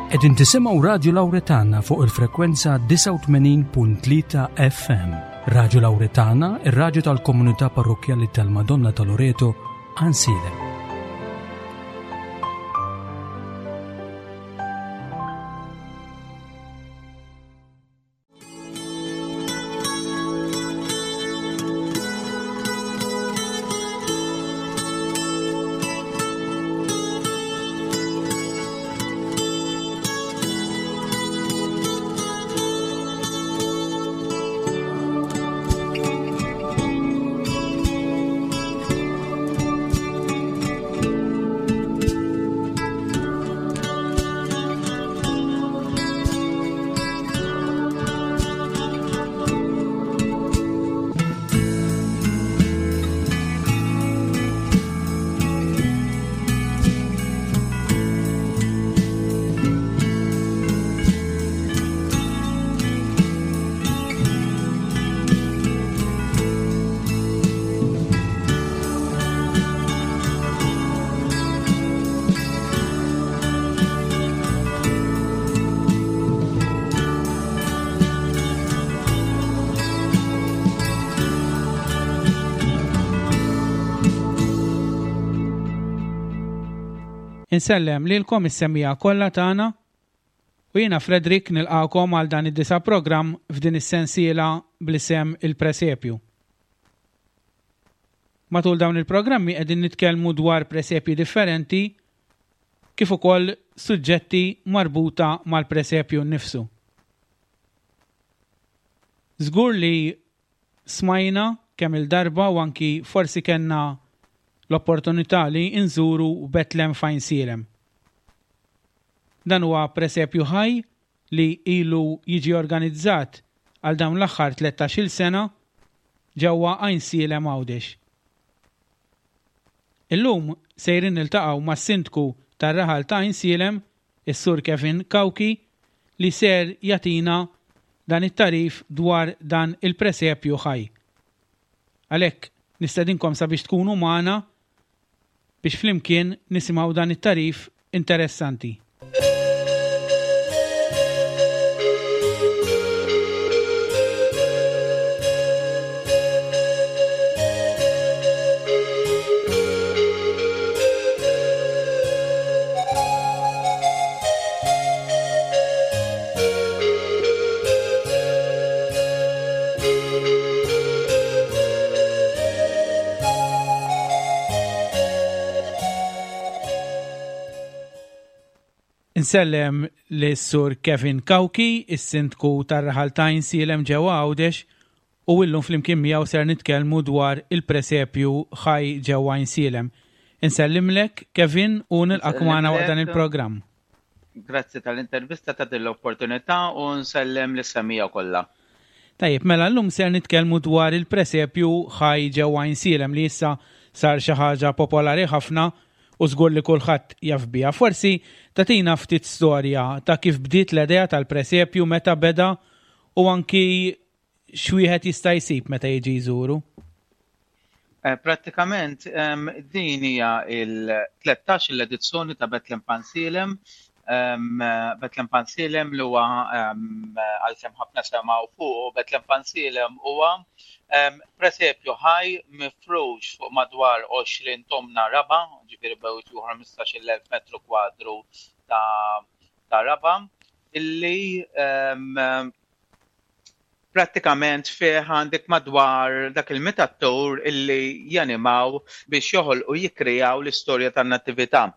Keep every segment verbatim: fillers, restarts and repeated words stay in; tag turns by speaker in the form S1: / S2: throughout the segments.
S1: Qegħdin tisimgħu Radju Lawretana fuq il-frekwenza disgħa u tmenin punt tlieta F M. Radju Lawretana, ir-radju tal-komunità parrokkjali tal-Madonna ta' Loreto, Għajnsielem.
S2: Insellem lilkom is-semmiegħa kollha tagħna u jiena Frederick nilqakom għal dan id-disa programm f'din is-sensiela bl-isem il-Presepju. Matul dawn il-programmi qegħdin nitkellmu dwar presepji differenti kif ukoll suġġetti marbuta mal-presepju nnifsu. Żgur li smajna kemm il-darba u anki forsi kellna l-opportunità li nżuru Betlem f'Għajnsielem. Dan huwa presepju ħaj li ilu jiġi organizzat għal dawn l-aħħar tlettax-il sena ġewwa Għajnsielem Għawdex. Illum sejrin niltaqgħu mas-sindku tar-raħal ta' Għajnsielem, is-Sur Kevin Cauchi, li ser jagħtina dan it-tarif dwar dan il-presepju ħaj. Għalhekk nistedinkom sabiex tkunu magħna biex flimkien nisimgħu dan it-tarif interessanti. Insellem lis-Sur Kevin Cauchi, is-sindku tar-raħal ta' Għajnsielem ġewwa Għawdex, u illum flimkien miegħu ser nitkellmu dwar il-presepju ħaj ġewwa Għajnsielem. Insellimlek, Kevin, u nilqak magħna waqt dan il-programm.
S3: Grazzi tal-intervista ta' din l-opportunità u nsellem lis-semija kollha.
S2: Tajjeb, mela llum ser nitkellmu dwar il-presepju ħaj ġewwa Għajnsielem li issa sar xi ħaġa popolari ħafna u żgur li kulħadd jaf biha. Forsi tagħtina ftit storja ta' kif bdiet l-idea tal-presepju, meta beda u anki x'wieħed jista' jsib meta jiġi jżuru.
S3: Eh, prattikament, em, din hija il-tlettax l-edizzjoni ta' Betlem f'Għajnsielem. Em, Betlem f'Għajnsielem li huwa, em, għalkemm ħafna semgħu fuq Betlem f'Għajnsielem huwa, em, presepju ħaj mifrux fuq madwar għoxrin tomna raba, ġifieri bewt ieħor ħmistax-il elf metru kwadru ta', ta' raba, illi, em, prattikament fih għandek madwar dak il-mitattur illi janimaw biex joħolqu jikkrejaw l-istorja tan-nattività.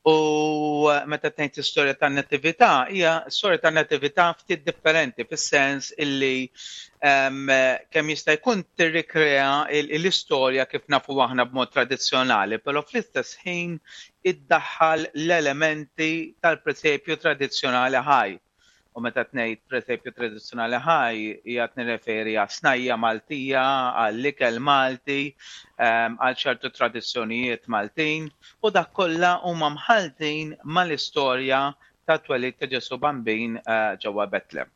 S3: U meta tgħid l-istorja tan-nattività, hija storja tan-nattività ftit differenti fis-sens illi, em, kemm jista' jkun tirrikrea il-, l-istorja kif nafu aħna b'mod tradizzjonali, però fl-istess ħin iddaħħal l-elementi tal-presepju tradizzjonali ħaj. U meta tgħid presepju tradizzjonali ħaj, hija nirreferi għal snajja Maltija, għall ikel Malti, ehm, għal ċertu tradizzjonijiet Maltin, u dak kollha huma mħaltin mal-istorja ta' twelid ta' Ġesu Bambin, eh, ġewwa Betlem.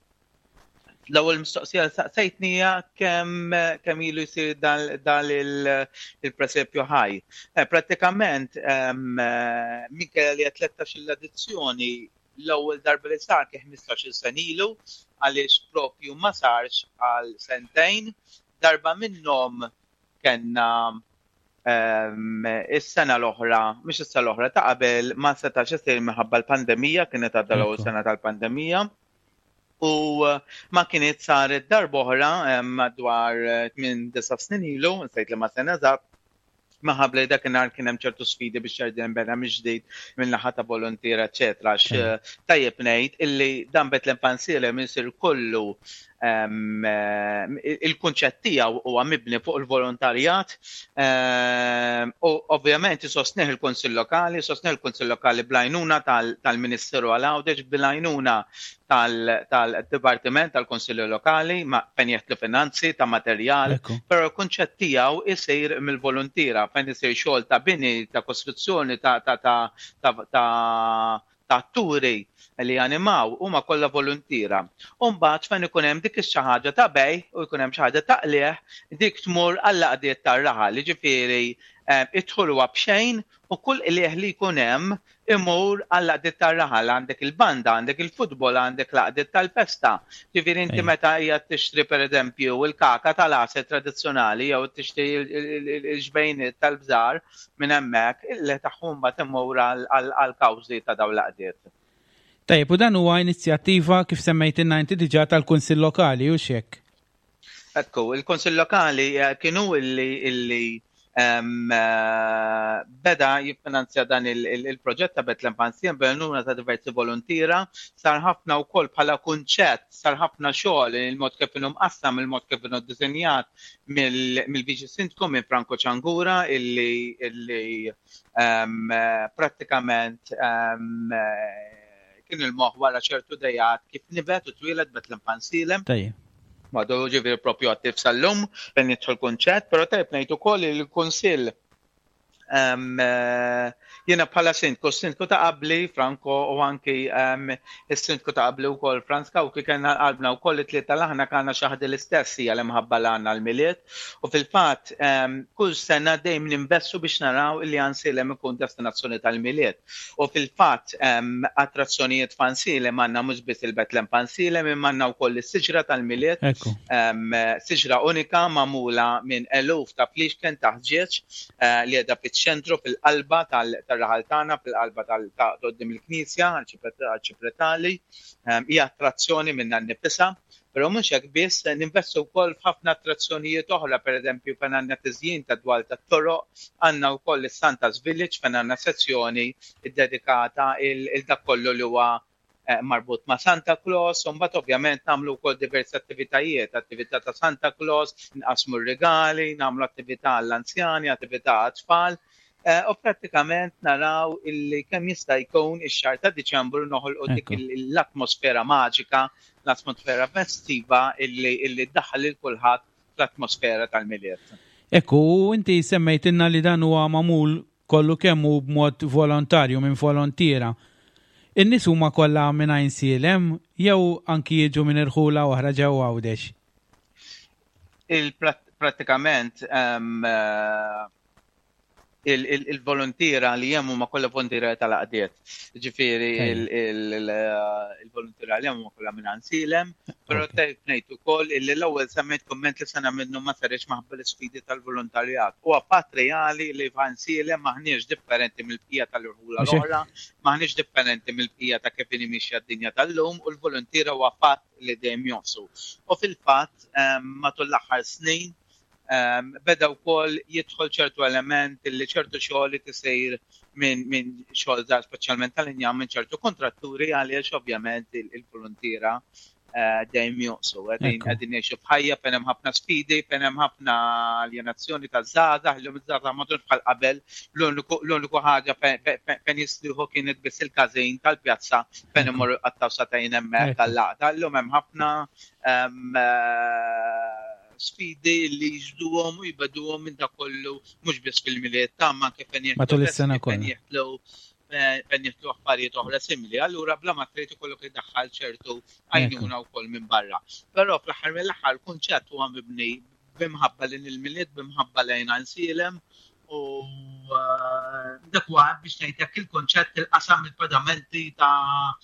S3: L-ewwel mistoqsija li saqsejtni hija kemm, kemm ilu jsir dan, dan il-, il-presepju ħaj. Eh, prattikament, ehm, minkejja li qed tlettax-il edizzjoni, L-ewwel darba li sar kien ħmistax-il sena ilu, għaliex propju ma sarx għal sentejn. Darba minnhom kellna ehm, is-sena l-oħra, mhux is-sena l-oħra, ta' qabel, ma setax isir minħabba l-pandemija, kienet għadha l-ewwel
S2: Ekku.
S3: sena tal-pandemija. U eh, ma kienet saret darba oħra ehm, madwar eh, tmien disa' snin ilu, nsejt li ma sena eżatt, minħabba li dakinhar kien hemm ċertu sfidi biex jerġa' jinbena mill-ġdid minn naħa ta' volontiera, eċetera. Għax
S2: Tajjeb.
S3: eh, tajjeb ngħid illi dan Bethlehem f'Għajnsielem isir kollu ehm, eh, il-kunċett tiegħu huwa mibni fuq il-volontarjat ehm, u ovvjament isostnih il-Kunsill Lokali, sostnih il-Kunsill Lokali bl-għajnuna tal- tal-Ministeru għal Għawdex, bl-għajnuna tal- tal-Dipartiment tal-Kunsilli Lokali ma fejn jeħtlu finanzi ta' materjal,
S2: Ekku.
S3: però l-kunċett tiegħu isir mill-volontiera fejn isir xogħol ta' bini, ta' kostruzzjoni, ta' ta' ta' ta' ta' ta' atturi li janimaw huma kollha volontiera. U mbagħad fejn ikun hemm dik ix-xi ħaġa ta' bejgħ u jkun hemm xi ħaġa ta' qligħ, dik tmur għall-għaqdiet tar-raħal, jiġifieri eh, idħol huwa b'xejn u kull qligħ li jkun hemm imur għall-għaqdiet tar-raħal, għandek il-banda, għandek il-futbol, għandek l-għaqdiet tal-festa. Ġifieri inti
S2: Ejja.
S3: meta hija tixtri, pereżempju, il-kaka tal-għasel tradizzjonali jew tixtri il-ġbejniet tal-bżar minn hemmhekk, il tagħhom mbagħad imur għall-kawżi ta' dawn l-għaqdiet.
S2: Tajjeb, u dan huwa inizjattiva, kif semmejtilna inti diġà, tal-Kunsill Lokali, u hekk?
S3: Ekku, il-Kunsill Lokali eh, kienu illi illi em, eh, beda jiffinanzja dan il- il- il-proġett ta' Bethlehem f'Għajnsielem bl-għajnuna ta' diversi volontiera. Sar ħafna wkoll bħala kunċett, sar ħafna xogħol, il-mod kif inhu mqassam, il-mod kif inhu ddisinjat mill- mill-Viċi Sindku, minn Franco Ciangura, illi illi em, eh, prattikament em, eh, kien il-moħħ wara ċertu ideat kif nibet u twieled Bethlehem f'Għajnsielem.
S2: Tajjeb.
S3: Madu ġifieri propju attiv sal-lum fejn jidħol kunċett, però tajb ngħid ukoll li l-Kunsill em, eh, jiena bħala sindku, sindku ta' qabli Franco u anki em, is-sindku ta' qabli wkoll Franz Kawki, kellna qalbna wkoll it-tlieta l-aħna kellna xi ħaġa l-istess, hija l-imħabba li għandna l-Milied, u fil-fatt em, kull sena dejjem ninvestu biex naraw li Għajnsielem ikun destinazzjoni tal-Milied. U fil-fatt em, attrazzjonijiet f'Għajnsielem għandna mhux biss il-Bethlehem f'Għajnsielem, imma għandna wkoll is-siġra tal-Milied,
S2: Ekku.
S3: um, siġra unika magħmula minn eluf ta' fliexken ta' ħġieġ eh, li qiegħda fiċ-ċentru, fil-qalba tal- tar-raħal tagħna, fil-qalba tal- ta' quddiem il-Knisja Arċipretali. Um, hija attrazzjoni minnha nnifisha, però mhux hekk biss, ninvestu wkoll f'ħafna attrazzjonijiet oħra, pereżempju fejn għandna tiżjin ta' dwal tat-toroq, għandna wkoll is-Santa's Village fejn għandna sezzjoni ddedikata il il dak kollu li huwa eh, marbut ma' Santa Claus, u mbagħad ovvjament nagħmlu wkoll diversi attivitajiet, attività ta' Santa Claus, nqasmu r-regali, nagħmlu attività għall-anzjani, attività għat-tfal, eh, u prattikament naraw illi kemm jista' jkun ix-xahar ta' Diċembru noħolqu dik
S2: Ekku.
S3: il- l-atmosfera maġika, l-atmosfera festiva illi illi ddaħħal lil kulħadd fl-atmosfera tal-Milied.
S2: Ekku, u inti semmejtilna li dan huwa magħmul kollu kemm hu b'mod volontarju minn volontiera. In-nies huma kollha minn Għajnsielem jew anki jiġu minn irħula oħra ġewwa Għawdex?
S3: Il-prattikament um, eh, il- il- il-volontiera li hemm huma kollha volontiera tal-għaqdiet. Ġifieri
S2: Tajjeb.
S3: il- il- il- il-volontiera li hemm huma kollha minn Għajnsielem, però
S2: Ok.
S3: tajb ngħid ukoll illi l-ewwel semmejt kumment li sena minnu ma sarx minħabba l-isfidi tal-volontarjat. Huwa fatt reali li f'Għajnsielem maħniex differenti mill-bqija tal-irħula
S2: Mhux hekk?
S3: l-oħra, maħniex differenti mill-bqija ta' kif inhi mixja d-dinja tal-lum, u l-volontiera huwa fatt li dejjem jonqsu. U fil-fatt em, matul l-aħħar snin um, beda wkoll jidħol ċertu element li ċertu xogħol li tisir minn min xogħol żgħar, speċjalment tal-injam, minn ċertu kontratturi, għaliex ovvjament il- il-volontiera eh, dejjem jonqsu. Qegħdin
S2: Ekku.
S3: qegħdin ngħixu f'ħajja fejn hemm ħafna sfidi, fejn hemm ħafna aljenazzjoni ta' żgħażagħ, illum iż-żgħażagħ ma bħal qabel, l-uniku l-uniku ħaġa fejn fejn- fejn jistrieħu kienet biss il-każin tal-pjazza fejn
S2: Ekku.
S3: imorru jqattgħu sagħtejn hemmhekk
S2: Ekku.
S3: għall-għaqda. Illum hemm ħafna em, eh, sfidi li jiġduhom u jibegħduhom minn dak kollu, mhux biss fil-Milied ta' ma anke fejn jeħlu
S2: Matul
S3: festi,
S2: is-sena
S3: fejn
S2: kollha.
S3: jeħlu eh, fejn jeħlu affarijiet oħra simili. Allura bla ma trid ikollok iddaħħal ċertu għajnuna wkoll minn barra. Però fl-aħħar mill-aħħar kunċett huwa mibni b'imħabba lejn il-Milied, b'imħabba lejn Għajnsielem, u eh, dak huwa biex ngħidlek il-konċett, il-qasam, il-pedamenti ta'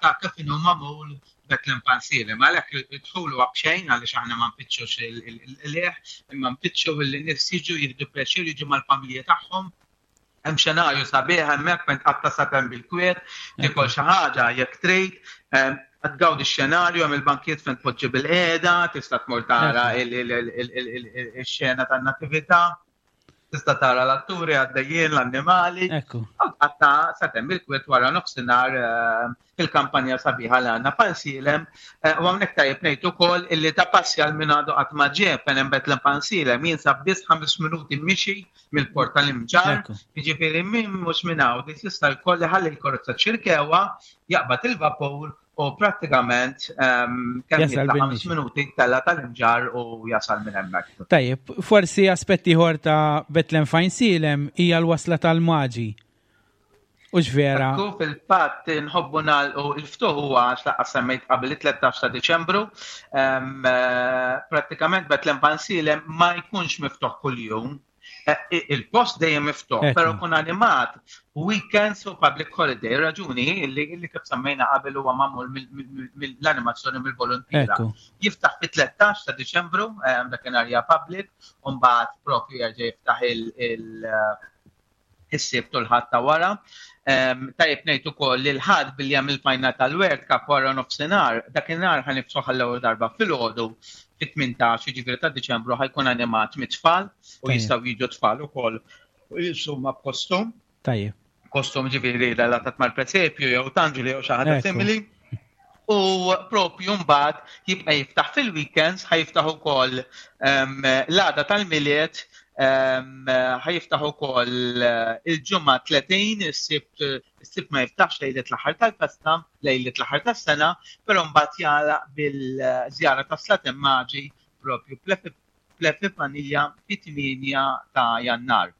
S3: ta' kif inhu magħmul Bethlehem f'Għajnsielem. Għalhekk id-dħul huwa b'xejn, għaliex aħna ma nfittxux il-qligħ, imma nfittxu li nies jiġu jieħdu pjaċir, jiġu mal-familji tagħhom. Hemm xenarju sabiħ hemmhekk fejn tqatta' sagħtejn bil-kwiet, tikol xi ħaġa jekk trid, tgawdi x-xenarju, hemm il-bankijiet fejn tpoġġi bil-qiegħda, tista' tmur tara il-xena tan-natività, tista' tara l-atturi għaddejjin, l-annimali.
S2: Ekku.
S3: Tqatta' sagħtejn bil-kwiet wara nofsinhar fil-kampanja sabiħa li għandna f'Għajnsielem. U hawnhekk tajjeb ngħid ukoll illi ta' passi għal min għadu qatt ma ġie fejn hemm Bethlehem f'Għajnsielem jinsab biss ħames minuti mixi mill-port tal-Imġarr. Jiġifieri min mhux minn hawn jista' jkolli ħalli l-karozza ċirkewa, jaqbad il-vapur u prattikament kemm
S2: Jasal
S3: jitla' ħames
S2: bil-mixi.
S3: minuti tella tal-Imġarr u jasal minn hemmhekk.
S2: Tajjeb, forsi aspett ieħor ta' Bethlehem f'Għajnsielem hija l-wasla tal-maġi. Hux vera?
S3: Ekku, fil-fatt nħobbu nagħlqu il-ftuħ huwa għax laqas semmejt qabel it-tlettax ta' Diċembru. Em, eh, prattikament Bethlehem f'Għajnsielem ma jkunx miftuħ kuljum. Eh, i-, il-post dejjem miftuħ,
S2: Ekku.
S3: però kun animat weekends u public holiday, raġuni illi, illi kif semmejna qabel huwa magħmul mill-animazzjoni mill-volontiera.
S2: Ekku.
S3: Jiftaħ fit-tlettax ta' Diċembru, em, dakinhar hija public, u mbagħad propju jerġa' jiftaħ il-, il-, is-Sibt u l-Ħadd ta' wara. Em, tajjeb ngħid ukoll li l-Ħadd billi hemm il-final tal-World Cup wara nofsinhar, dakinhar ħa niftuħ għall-ewwel darba filgħodu fit-tmintax, jiġifieri ta' Diċembru, ħajkun animat mit-tfal u
S2: Tajjeb.
S3: jistgħu jiġu tfal ukoll u jisuma b'kostum.
S2: Tajjeb.
S3: Kostum ġifieri relatat mal-presepju jew tanġuli jew xi ħaġa
S2: Ekku.
S3: simili. U propju mbagħad jibqa' jiftaħ fil-weekends, ħajftaħ ukoll, em, l-għada tal-Milied, em, ħajftaħ ukoll, eh, il-ġimgħa tletin, is-Sibt, is-Sibt ma jiftaħx lejlet l-aħħar tal-festa, lejlet l-aħħar tas-sena, però mbagħad jagħlaq bil-żjara ta' Slaten Maġi propju fl-Epifanija fit-tmienja ta' Jannar.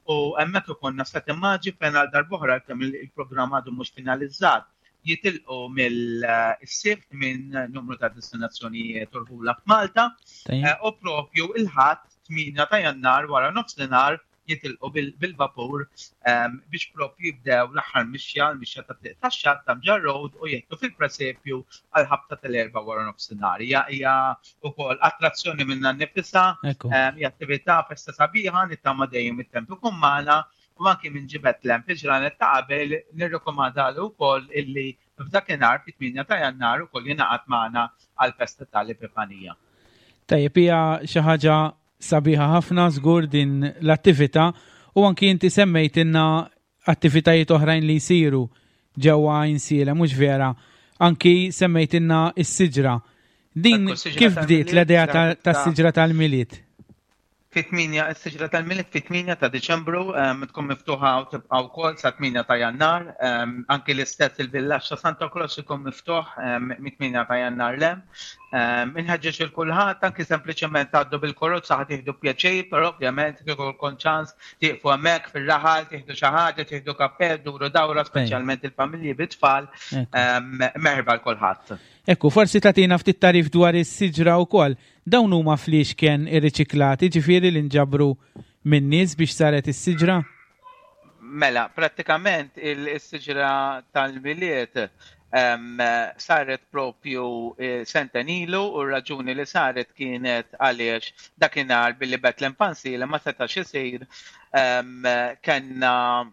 S3: U hemmhekk ikollna Slaten Maġi fejn għal darb'oħra kemm il-programm għadu mhux finalizzat, jitilqu mill-Sibt minn numru ta' destinazzjonijiet urħula f'Malta,
S2: Tajjeb.
S3: eh, u propju il-Ħadd tmienja ta' Jannar wara nofsinhar jitilqu bil-, bil-vapur, ehm, biex propju jibdew l-aħħar mixja, l-mixja ta' triq tax-xatt ta' Mġarr Road u jieħdu fil-presepju għal ħabta tal-erba' wara nofsinhar. Hija, hija wkoll attrazzjoni minna nnifisha,
S2: Ekku.
S3: ehm, hija attività festa sabiħa, nittama dejjem it-temp ikun magħna, u anki minn ġie Bethlehem fil-ġranet ta' qabel nirrikomandalu wkoll illi f'dakinhar fit-tmienja ta' Jannar ukoll jingħaqad magħna għall-festa tal-Epifanija.
S2: Tajjeb, hija xi ħaġa sabiħa ħafna żgur din l-attività, u anki inti semmejtilna attivitajiet oħrajn li jsiru ġewwa Għajnsielem, mhux vera? Anki semmejtilna s-siġra. Din
S3: Ekku, s-siġra
S2: kif bdiet
S3: tal-Milied,
S2: l-idea ta'
S3: ta'
S2: tas-siġra tal-Milied?
S3: Fit-tmienja, is-siġra tal-Milied fit-tmienja ta' Diċembru, ehm, tkun miftuħa u tibqa' wkoll sa tmienja ta' Jannar, ehm, anki l-istess il-villaġġ ta' Santa Cross ikun miftuħ, ehm, mit-tmienja ta' Jannar lem. Ehm, inħeġġeġ il kulħadd anki sempliċement tgħaddu bil-karozza ħa tieħdu pjaċir, però ovvjament kieku jkun ċans tieqfu hemmhekk fir-raħal, tieħdu xi ħaġa, tieħdu kaffè, duru dawra,
S2: Tajjeb.
S3: speċjalment il-familji bit-tfal,
S2: Ekku.
S3: ehm, merħba l kulħadd.
S2: Ekku, forsi tagħtina ftit tarif dwar is-siġra wkoll. Dawn huma fliexken irriċiklati, ġifieri li nġabru minn nies biex saret is-siġra?
S3: Mela, prattikament il-siġra tal-Milied, em, saret propju, eh, sentejn ilu, u r-raġuni li saret kienet għaliex dakinhar billi Bethlehem f'Għajnsielem ma setax isir, em, kellna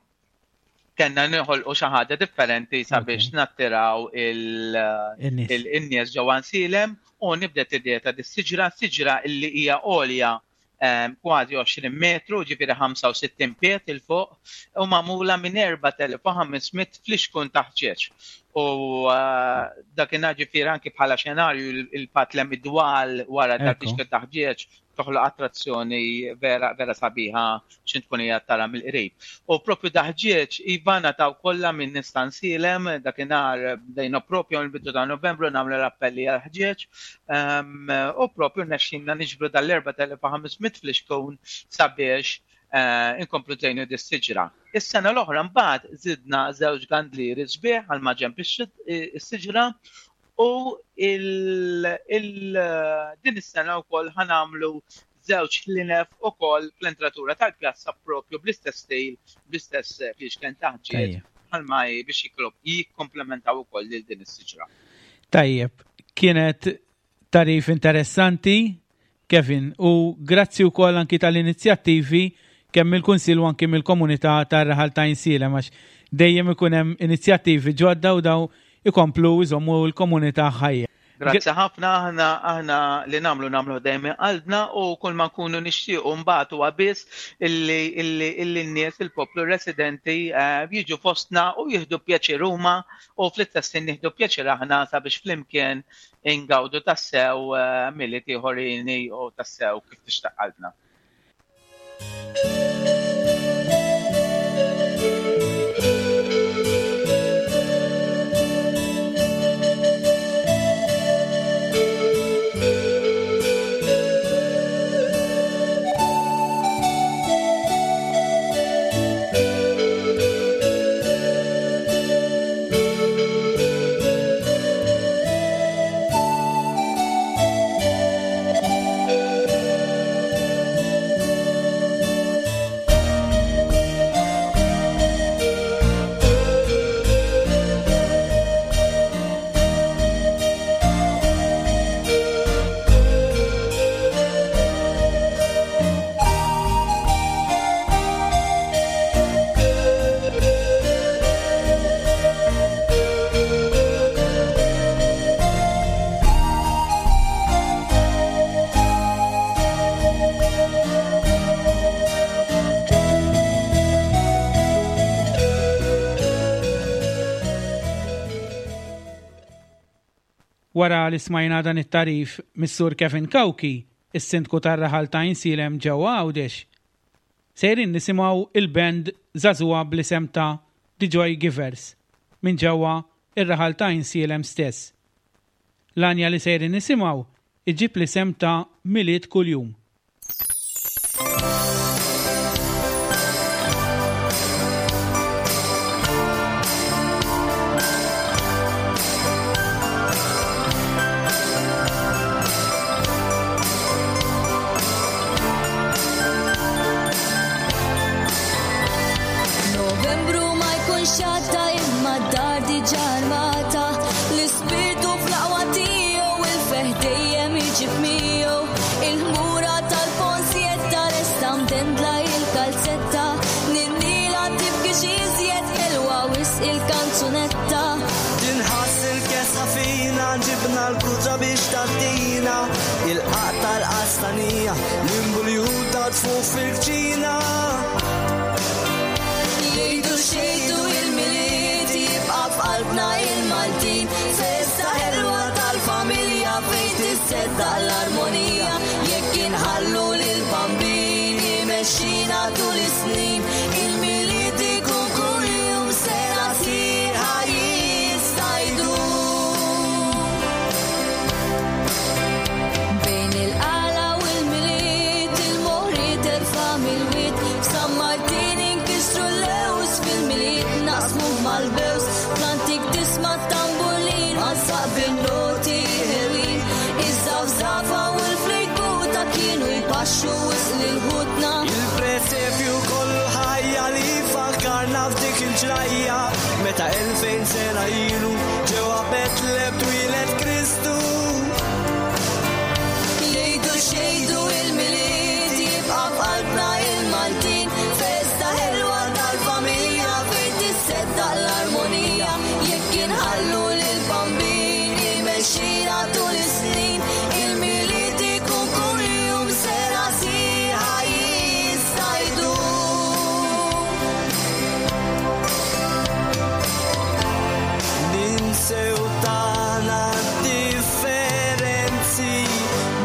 S3: kellna noħolqu xi ħaġa differenti sabiex
S2: Ok.
S3: nattiraw il-
S2: In-nies.
S3: il-, in-nies ġewwa Għajnsielem, u nibdet id-dieta ta' dis-siġra, siġra illi hija għolja, em, kważi għoxrin metru, ġifieri ħamsa u sittin pied il fuq, u magħmula minn erba' telef u ħames mitt flixkun ta' ħġieġ. U, eh, dakinhar ġifieri anki bħala xenarju il-, il-fatt li hemm id-dwal wara dak
S2: Ekku.
S3: flixkun ta' ħġieġ toħloq attrazzjoni vera, vera sabiħa x'int tkun hija tara mill-qrib. U propju daħġieġ Ivana taw kollha minn nies ta' Għajnsielem, dakinhar bdejna propju mill-bidu ta' Novembru nagħmlu l-appelli għal ħġieġ, ehm, u propju nexxinna niġbru dal-erba' telef u ħames mitt flixkun sabiex, eh, inkomplu tgħinu dis-siġra. Is-sena l-oħra mbagħad żidna żewġ gandlieri sbieħ għal maġenb is-siġra, u il-, il-, din is-sena wkoll ħanamlu żewġ ħlinef ukoll fl-entratura tal-pjazza propju bl-istess stil, bl-istess fliexken ta' ħġieġ
S2: Tajjeb.
S3: bħalma hi biex jikkomplementaw ukoll lil din is-siġra.
S2: Tajjeb, kienet tarif interessanti, Kevin, u grazzi wkoll anki tal-inizjattivi kemm mill-Kunsill u anki mill-komunità tar-raħal ta' Għajnsielem, għax dejjem ikun hemm inizjattivi ġodda u daw ikomplu jżommu l-komunità ħajja.
S3: Grazzi ħafna, aħna aħna li nagħmlu nagħmlu dejjem qalbna u kull ma nkunu nixtiequ mbagħad huwa biss illi illi illi n-nies il-poplu residenti jiġu fostna u jieħdu pjaċir huma u fl-istess ħin nieħdu pjaċir aħna sabiex flimkien ingawdu tassew Milied ieħor u tassew kif tixtaq qalbna.
S2: Wara li smajna dan it-tarif mis-Sur Kevin Cauchi, is-sindku tar-raħal ta' Għajnsielem ġewwa Għawdex, sejrin nisimgħu il-band żagħżugħa bl-isem ta' The Joy Givers minn ġewwa ir-raħal ta' Għajnsielem stess. L-għanja li sejrin nisimgħu iġib l-isem ta' Milied Kuljum.
S4: Fil-ġina
S5: Jgħidu xejdu il-Milied jibqa' f'qalbna il-Maltin, festa ħelwa tal-familja fejn tisseddaq l-armonija, jekk inħallu lil-Bambin imexxina tul is-snin, il-Milied ikun kuljum sena sieħa jista' jdum. Bejn il-qala u l-Milied il-moħri terfa' mill-wied, San Martin inkisru l-lews fil-Milied naqsmu mal-bews, fl-antik tisma' tamburlin għansaq bin-noti ħelwin, iż-żafżafa u l-flejkuta kienu jpaxxu wisq lil ħutna.
S4: Il-presepju kollu ħajja li fakkarna f'dik il-ġrajja meta elfejn sena ilu ġewwa Betlem twieled Kristu.
S5: Jgħidu xejdu il-Milied jibqa' f'qalbna il-Maltin, festa ħelwa tal-familja fejn tisseddaq l-armonija, jekk inħallu lil-Bambin imexxina tul is-snin, il-Milied ikun kuljum sena sieħa jista' jdum.
S4: Ninsew tagħna differenzi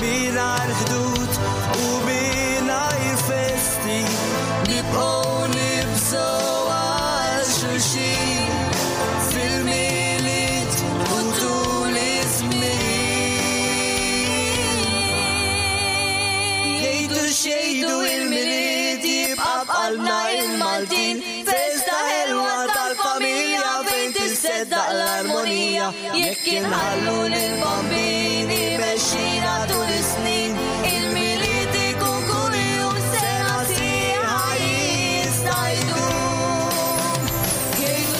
S4: mingħajr ħdud u mingħajr festi, nibqgħu nibżgħu għal xulxin fil-Milied u tul iż-żmien.
S5: Jgħidu xejdu il-Milied jibqa' f'qalbna il-Maltin, festa ħelwa tal-familja fejn tisseddaq l-armonija, jekk inħallu lil-Bambin imexxina tul is-snin, il-Milied ikun kuljum sena sieħa jista' jdum. Jgħidu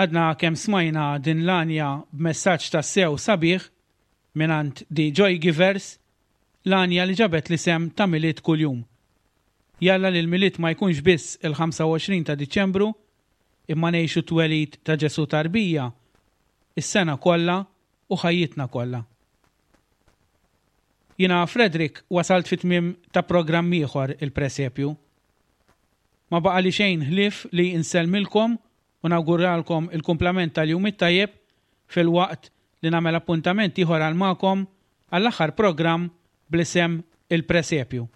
S2: Għadna kemm smajna din l-għanja b'messaġġ tassew sabiħ mingħand The Joy Givers, l-għanja li ġabet l-isem ta' Milied Kuljum. Jalla li l-Milied ma jkunx biss il-ħamsa u għoxrin ta' Diċembru, imma ngħixu t-twelid ta' Ġesu tarbija is-sena kollha u ħajjitna kollha. Jiena Frederick wasalt fi tmiem ta' programm ieħor il-presepju. Ma baqa' li xejn ħlief li nsellmilkom u nawguralkom il-kumplament tal-jum it-tajjeb filwaqt li nagħmel appuntament ieħor għal magħkom għall-aħħar programm bl-isem il-presepju.